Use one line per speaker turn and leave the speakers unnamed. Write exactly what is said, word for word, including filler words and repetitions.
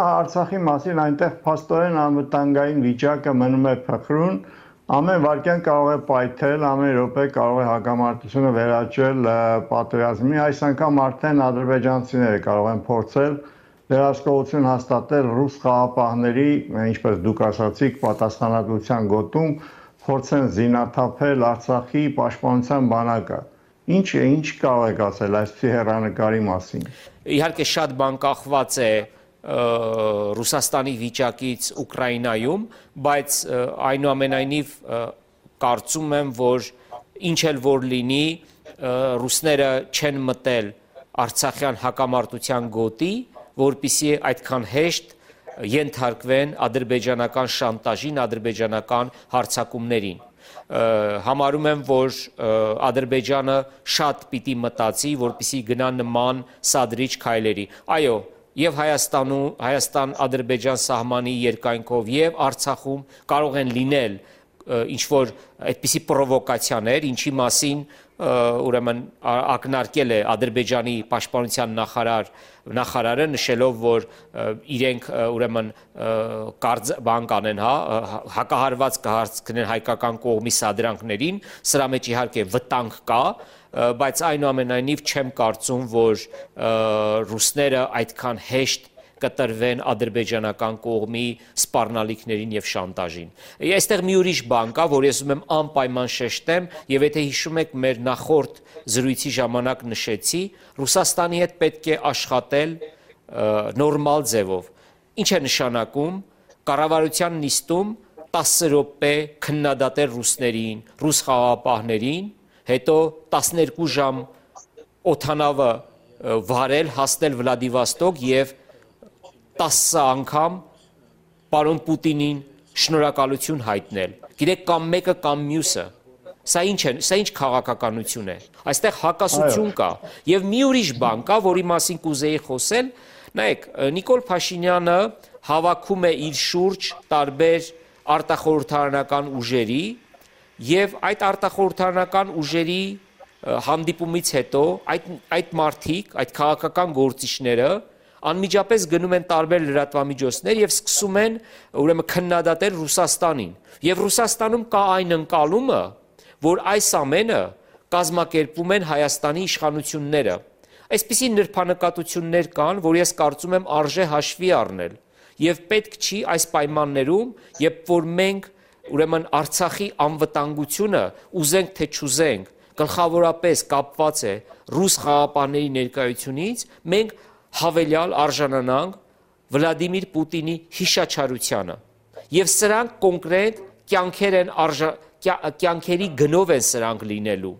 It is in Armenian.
Արցախի մասին այնտեղ փաստորեն անվտանգային վիճակը մնում է փխրուն, ամեն վայրկյան կարող է պայթել, ամեն րոպե կարող է հակամարտությունը վերաճել պատերազմի, այս անգամ արդեն ադրբեջանցիները կարող են փորձել վերահսկողություն հաստատել ռուս խաղապահների, ինչպես դուք ասացիք, պատասխանատվության գոտում, փորձեն զինաթափել Արցախի պաշտպանության բանակը։ Ինչ է, ինչ կարող եք ասել այսպիսի հեռանկարի մասին։
Իհարկե շատ բան կախված է Ռուսաստանի վիճակից Ուկրաինայում, բայց այնուամենայնիվ կարծում եմ, որ ինչ էլ որ լինի, ռուսները չեն մտել Արցախյան հակամարտության գոտի, որպեսզի այդքան հեշտ ենթարկվեն ադրբեջանական շանտաժին, ադրբեջանական հարձակումներին։ Համարում եմ, որ Ադրբեջանը շատ պիտի մտածի, որպեսզի գնա նման սադրիչ քայլերի։ Այո, եւ Հայաստանում, Հայաստան-Ադրբեջան սահմանի երկայնքով եւ Արցախում կարող են լինել ինչ որ այդպիսի պրովոկացիաներ, ինչի մասին ուրեմն ակնարկել է Ադրբեջանի պաշտպանության նախարար նախարարը նշելով, որ իրենք ուրեմն բան կանեն, հա, հակահարված կհարցնեն հայկական կողմի սադրանքներին, սրա մեջ իհարկե վտանգ կա, բայց այնուամենայնիվ չեմ կարծում, որ ռուսները այդքան հեշտ կտրվեն ադրբեջանական կողմի սպառնալիքներին եւ շանտաժին։ Այստեղ մի ուրիշ բան կա, որ ես ուզում եմ անպայման շեշտեմ, եւ եթե հիշում եք մեր նախորդ զրույցի ժամանակ նշեցի, Ռուսաստանի հետ պետք է աշխատել նորմալ ձևով։ Ինչ է նշանակում կառավարության նիստում տասը րոպե քննադատել ռուսներին, ռուս խաղապահներին, հետո տասներկու ժամ օդանավը վարել, հասնել Վլադիվոստոկ եւ տասը անգամ պարոն Պուտինին շնորհակալություն հայտնել։ Գիտեք, կամ մեկը կամ մյուսը։ Սա ինչ է, սա ինչ քաղաքականություն է։ Այստեղ հակասություն կա։ Եվ մի ուրիշ բան կա, որի մասին կուզեի խոսել։ Նայեք, Նիկոլ Փաշինյանը հավաքում է իր շուրջ տարբեր արտախորհրդարանական ուժերի եւ այդ արտախորհրդարանական ուժերի հանդիպումից հետո այդ այդ մարդիկ, այդ քաղաքական գործիչները անմիջապես գնում են տարբեր լրատվամիջոցներ եւ սկսում են ուրեմն քննադատել Ռուսաստանին։ Եվ Ռուսաստանում կա այն ընկալումը, որ այս ամենը կազմակերպում են Հայաստանի իշխանությունները։ Այսպիսի նրբանկատություններ կան, որ ես կարծում եմ արժե հաշվի առնել։ Եվ պետք չի այս պայմաններում, երբ որ մենք ուրեմն Արցախի անվտանգությունը ուզենք թե չուզենք, գլխավորապես կապված է ռուս խաղապահների ներկայությունից, մենք հավելյալ արժանանանք Վլադիմիր Պուտինի հիշաչարությանը։ Եվ սրանք կոնկրետ կյանքեր են արժա կյանքերի գնով են սրանք լինելու։